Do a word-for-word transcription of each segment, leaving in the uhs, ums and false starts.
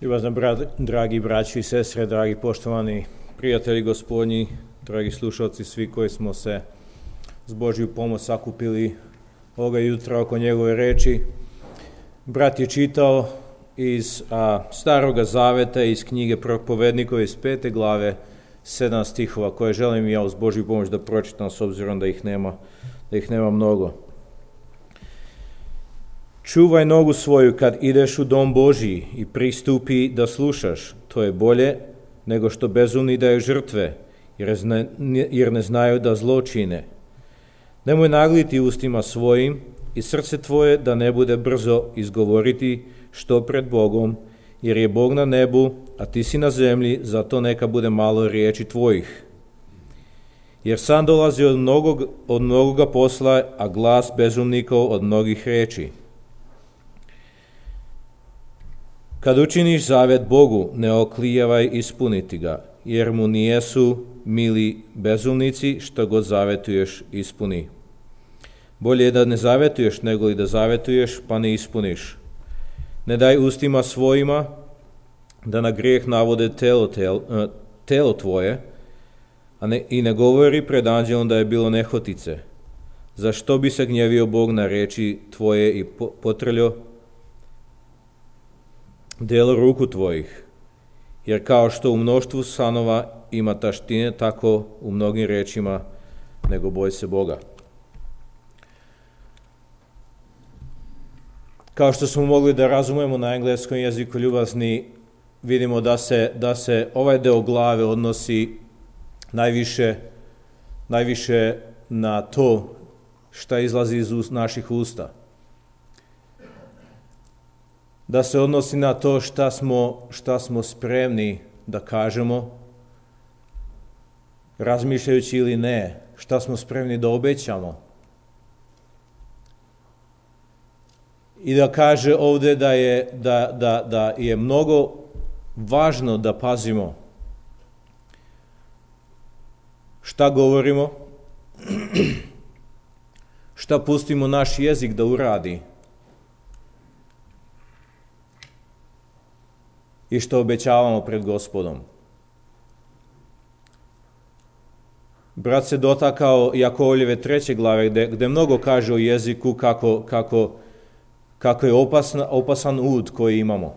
Ljubazno, dragi braći i sestre, dragi poštovani prijatelji gospodnji, dragi slušalci, svi koji smo se s Božju pomoć sakupili ovoga jutra oko njegove reči. Brat je čitao iz a, Staroga Zaveta, iz knjige Propovednikove iz pete glave, sedam stihova, koje želim ja uz Božju pomoć da pročitam, s obzirom da ih nema, da ih nema mnogo. Čuvaj nogu svoju kad ideš u dom Božji i pristupi da slušaš. To je bolje nego što bezumni daju žrtve, jer ne, jer ne znaju da zlo čine. Nemoj nagliti ustima svojim i srce tvoje da ne bude brzo izgovoriti što pred Bogom, jer je Bog na nebu, a ti si na zemlji, zato neka bude malo riječi tvojih. Jer sam dolazi od mnogog, od mnogoga posla, a glas bezumnikov od mnogih riječi. Kad učiniš zavet Bogu, ne oklijevaj ispuniti ga, jer mu nijesu mili bezumnici, što god zavetuješ ispuni. Bolje je da ne zavetuješ, nego li da zavetuješ, pa ne ispuniš. Ne daj ustima svojima da na grijeh navode telo, telo, telo tvoje, a ne, i ne govori pred anđelom da je bilo nehotice. Zašto bi se gnjevio Bog na riječi tvoje i potrljio delo ruku tvojih? Jer kao što u mnoštvu sanova ima taštine, tako u mnogim riječima, nego boj se Boga. Kao što smo mogli da razumemo na engleskom jeziku, ljubazni, vidimo da se, da se ovaj deo glave odnosi najviše, najviše na to šta izlazi iz naših usta. Da se odnosi na to šta smo, šta smo spremni da kažemo, razmišljajući ili ne, šta smo spremni da obećamo. I da kaže ovdje da je, da, da, da je mnogo važno da pazimo šta govorimo, šta pustimo naš jezik da uradi i što obećavamo pred Gospodom. Brat se dotakao Jakovljeve treće glave, gde, gde mnogo kaže o jeziku, kako, kako, kako je opasan, opasan ud koji imamo.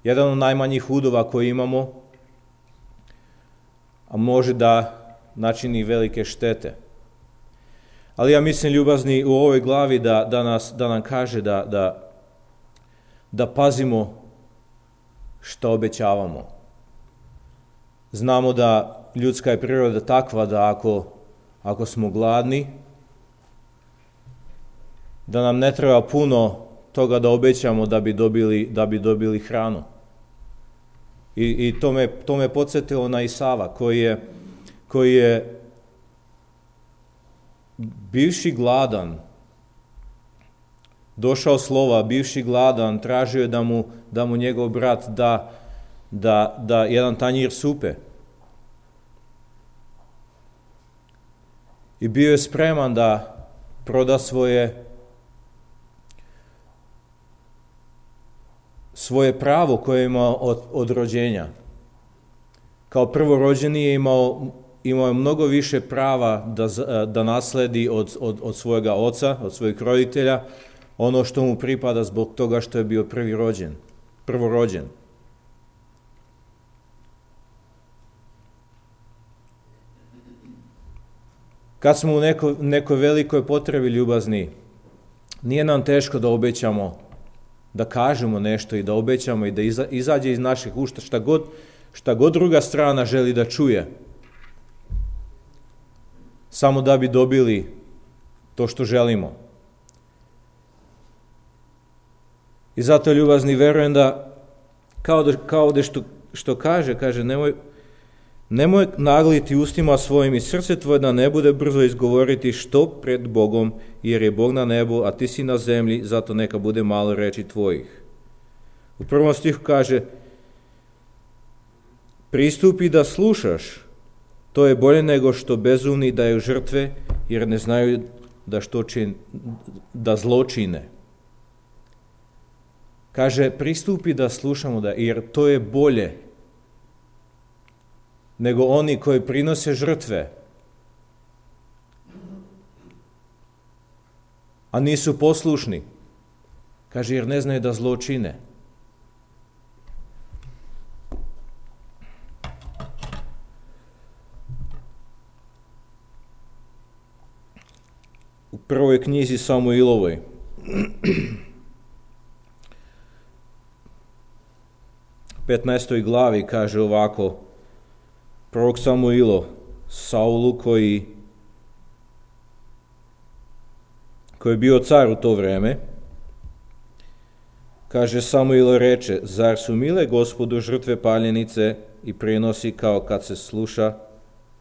Jedan od najmanjih udova koji imamo, a može da načini velike štete. Ali ja mislim, ljubazni, u ovoj glavi da, da, nas, da nam kaže da, da, da pazimo što obećavamo. Znamo da ljudska je priroda takva da ako, ako smo gladni, da nam ne treba puno toga da obećamo da bi dobili, da bi dobili hranu. I, i to, me, to me podsjetilo na Isava, koji je, koji je bivši gladan, došao slova, bivši gladan, tražio je da mu, da mu njegov brat da, da, da jedan tanjir supe. I bio je spreman da proda svoje svoje pravo koje je imao od, od rođenja. Kao prvorođeni je imao, imao je mnogo više prava da, da nasledi od, od, od svojega oca, od svojih roditelja, ono što mu pripada zbog toga što je bio prvi rođen, prvorođen. Kad smo u neko, nekoj velikoj potrebi, ljubazni, nije nam teško da obećamo, da kažemo nešto i da obećamo i da iza, izađe iz naših usta šta god, šta god druga strana želi da čuje, samo da bi dobili to što želimo. I zato, ljubazni, verujem da, kao da, kao da što, što kaže, kaže, nemoj, nemoj nagliti ustima svojim i srce tvoje da ne bude brzo izgovoriti što pred Bogom, jer je Bog na nebu, a ti si na zemlji, zato neka bude malo reči tvojih. U prvom stihu kaže, pristupi da slušaš, to je bolje nego što bezumni daju žrtve, jer ne znaju da, što čin, da zlo čine. Kaže, pristupi da slušamo, da, jer to je bolje nego oni koji prinose žrtve, a nisu poslušni. Kaže, jer ne znaju da zlo čine. U prvoj knjizi Samuilovoj petnaestoj glavi kaže ovako, prorok Samuilo Saulu koji, koji je bio car u to vreme, kaže, Samuilo reče, zar su mile Gospodu žrtve paljenice i prinosi kao kad se sluša,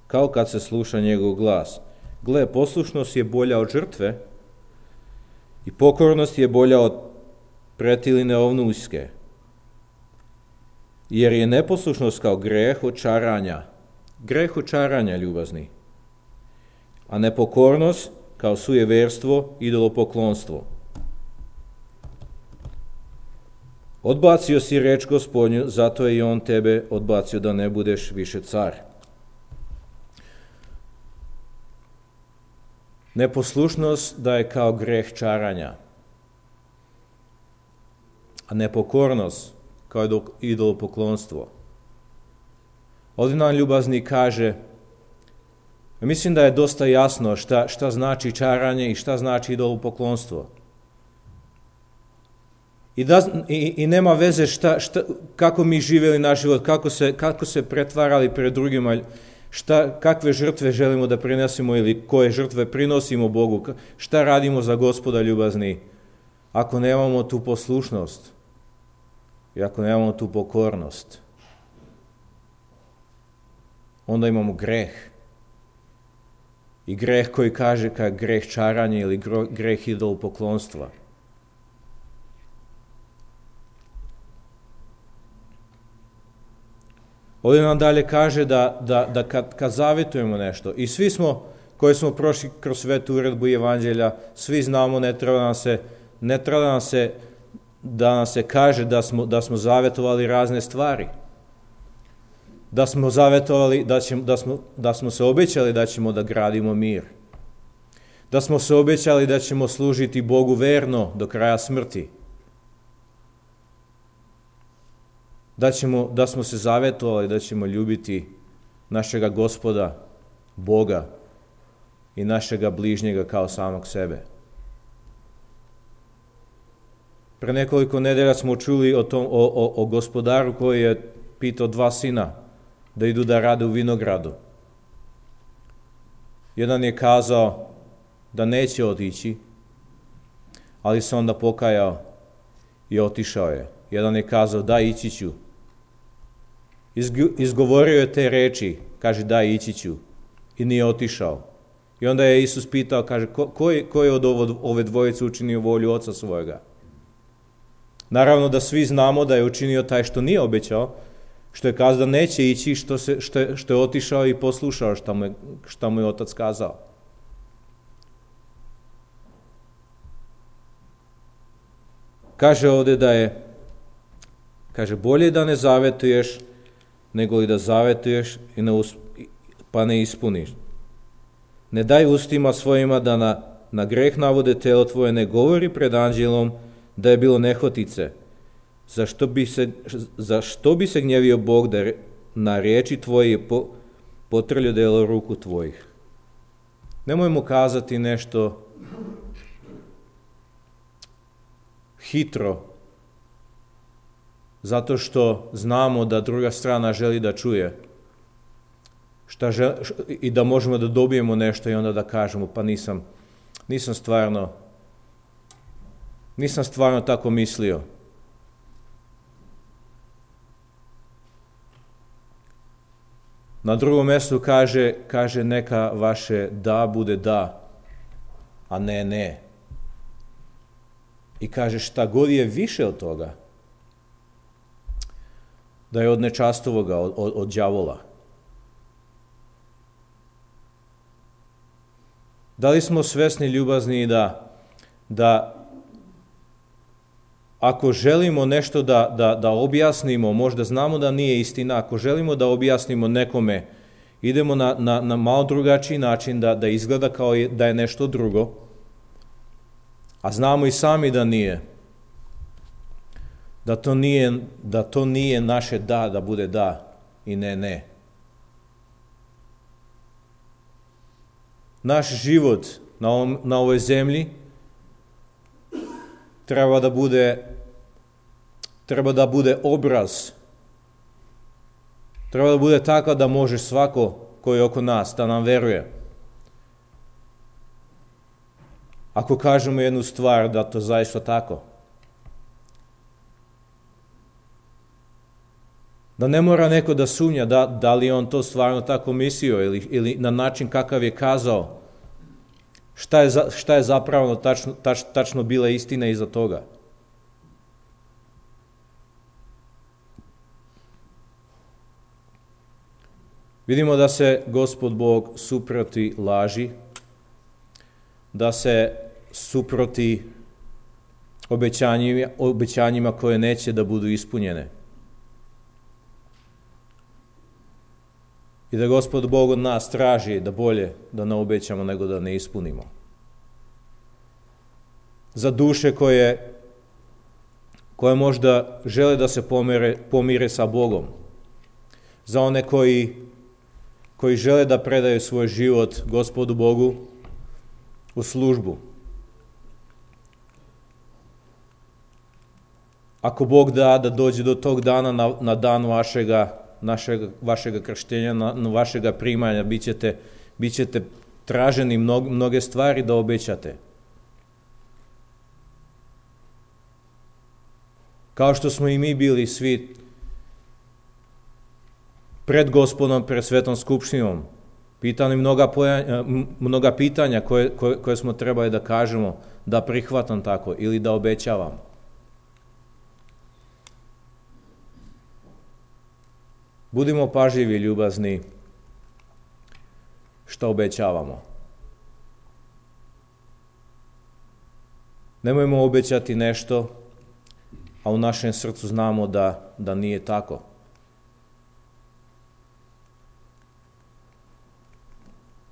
kao kad se sluša njegov glas? Gle, poslušnost je bolja od žrtve i pokornost je bolja od pretiline ovnuljske. Jer je neposlušnost kao greh očaranja. Greh očaranja, ljubazni. A nepokornost kao sujeverstvo, idolopoklonstvo. Odbacio si reč Gospodnju, zato je i on tebe odbacio da ne budeš više car. Neposlušnost da je kao greh čaranja, a nepokornost kao idolopoklonstvo. Ovdje nam ljubazni kaže, mislim da je dosta jasno šta, šta znači čaranje i šta znači idolopoklonstvo. I, da, i, i nema veze šta, šta, kako mi živjeli naš život, kako se, kako se pretvarali pred drugima, šta, kakve žrtve želimo da prinesimo ili koje žrtve prinosimo Bogu, šta radimo za Gospoda ljubazni, ako nemamo tu poslušnost i ako nemamo tu pokornost, onda imamo greh. I greh koji kaže kao greh čaranja ili greh idolopoklonstva. Ovdje nam dalje kaže da, da, da kad, kad zavjetujemo nešto, i svi smo, koji smo prošli kroz svetu uredbu evanđelja, svi znamo, ne treba nam se, ne treba nam se da nam se kaže da smo, da smo zavjetovali razne stvari. Da smo zavjetovali, da, ćemo, da, smo, da smo se obećali da ćemo da gradimo mir. Da smo se obećali da ćemo služiti Bogu verno do kraja smrti. Da, ćemo, da smo se zavjetovali da ćemo ljubiti našega Gospoda, Boga i našega bližnjega kao samog sebe. Pre nekoliko nedelja smo čuli o, tom, o, o, o gospodaru koji je pitao dva sina da idu da rade u vinogradu. Jedan je kazao da neće otići, ali se onda pokajao i otišao je. Jedan je kazao da ići ću. Izgovorio je te reči, kaže da ići ću, i nije otišao. I onda je Isus pitao, kaže, ko, ko, je, ko je od ovo, ove dvojice učinio volju oca svojega? Naravno da svi znamo da je učinio taj što nije obećao, što je kazao da neće ići, što, se, što, je, što je otišao i poslušao šta mu, je, šta mu je otac kazao. Kaže ovdje da je, kaže, bolje da ne zavetuješ, nego li da zavetuješ i ne usp, pa ne ispuniš. Ne daj ustima svojima da na, na greh navode telo tvoje, ne govori pred anđelom da je bilo nehotice. Zašto bi se, zašto bi se gnjevio Bog da na riječi tvoje po, potrljo delo ruku tvojih? Nemojmo kazati nešto hitro, zato što znamo da druga strana želi da čuje šta žel, i da možemo da dobijemo nešto i onda da kažemo pa nisam, nisam stvarno nisam stvarno tako mislio. Na drugom mjestu kaže, kaže neka vaše da bude da, a ne ne. I kaže šta god je više od toga, da je od nečastovoga, od, od, od đavola. Da li smo svesni ljubazni da, da ako želimo nešto da, da, da objasnimo, možda znamo da nije istina, ako želimo da objasnimo nekome, idemo na, na, na malo drugačiji način da, da izgleda kao je, da je nešto drugo, a znamo i sami da nije. Da to nije, da to nije naše da, da bude da i ne, ne. Naš život na, ovom, na ovoj zemlji treba da bude treba da bude obraz. Treba da bude tako da može svako koji je oko nas da nam veruje. Ako kažemo jednu stvar da to zaista tako. Da ne mora neko da sumnja da, da li on to stvarno tako mislio ili, ili na način kakav je kazao. Šta je, za, šta je zapravo tačno, tač, tačno bila istina iza toga. Vidimo da se Gospod Bog suproti laži, da se suproti obećanjima, obećanjima koje neće da budu ispunjene. I da Gospod Bog od nas traži da bolje da ne obećamo nego da ne ispunimo. Za duše koje, koje možda žele da se pomire, pomire sa Bogom. Za one koji, koji žele da predaju svoj život Gospodu Bogu u službu. Ako Bog da da dođe do tog dana na, na dan vašega Našeg, vašega krštenja, na, na vašega primanja, bit ćete, bit ćete traženi mnog, mnoge stvari da obećate. Kao što smo i mi bili svi pred Gospodom, pred Svetom skupštinom, pitani mnoga, pojanja, mnoga pitanja koje, koje, koje smo trebali da kažemo, da prihvatam tako ili da obećavam. Budimo pažljivi, ljubazni, šta obećavamo. Nemojmo obećati nešto, a u našem srcu znamo da, da nije tako.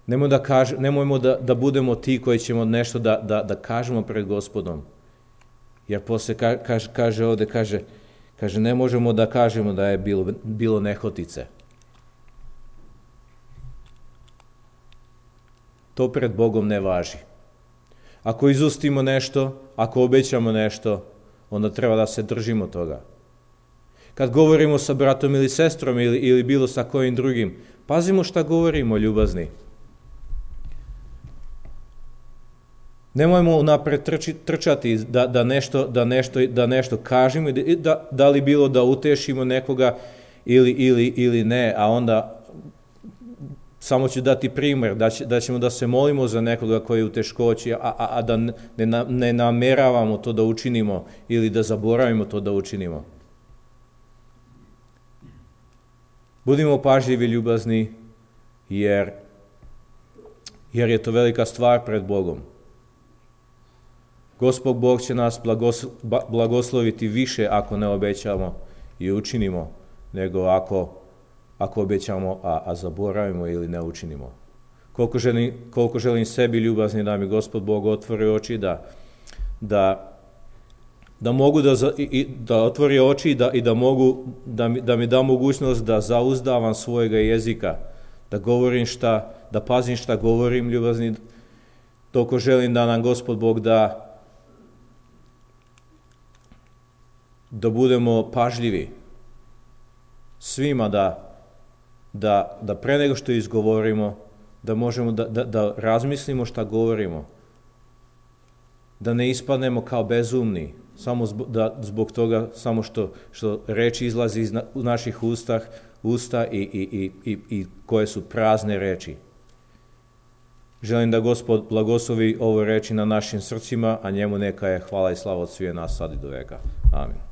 Nemojmo da, kaž, nemojmo da, da budemo ti koji ćemo nešto da, da, da kažemo pred Gospodom. Jer posle ka, kaže, kaže ovde, kaže, Kaže, ne možemo da kažemo da je bilo, bilo nehotice. To pred Bogom ne važi. Ako izustimo nešto, ako obećamo nešto, onda treba da se držimo toga. Kad govorimo sa bratom ili sestrom ili, ili bilo sa kojim drugim, pazimo šta govorimo, ljubazni. Nemojmo napred trči, trčati da, da, nešto, da, nešto, da nešto kažemo, da, da li bilo da utešimo nekoga ili, ili, ili ne, a onda samo ću dati primjer, da, će, da ćemo da se molimo za nekoga koji je u teškoći, a, a, a da ne, ne nameravamo to da učinimo ili da zaboravimo to da učinimo. Budimo pažljivi, ljubazni, jer, jer je to velika stvar pred Bogom. Gospod Bog će nas blagosloviti više ako ne obećamo i učinimo, nego ako, ako obećamo, a, a zaboravimo ili ne učinimo. Koliko želim, koliko želim sebi, ljubazni, da mi Gospod Bog otvori oči, da, da, da mogu da, i, da otvori oči i da, i da, mogu, da, mi, da mi da mogućnost da zauzdavam svojega jezika, da govorim šta, da pazim šta govorim, ljubazni, toliko želim da nam Gospod Bog da da budemo pažljivi svima, da, da, da pre nego što izgovorimo, da možemo da, da, da razmislimo šta govorimo, da ne ispadnemo kao bezumni, samo zbog, da, zbog toga samo što, što reči izlazi iz na, naših ustah, usta i, i, i, i koje su prazne reči. Želim da Gospod blagoslovi ovo reči na našim srcima, a njemu neka je hvala i slava od svih nas sad i do veka. Amin.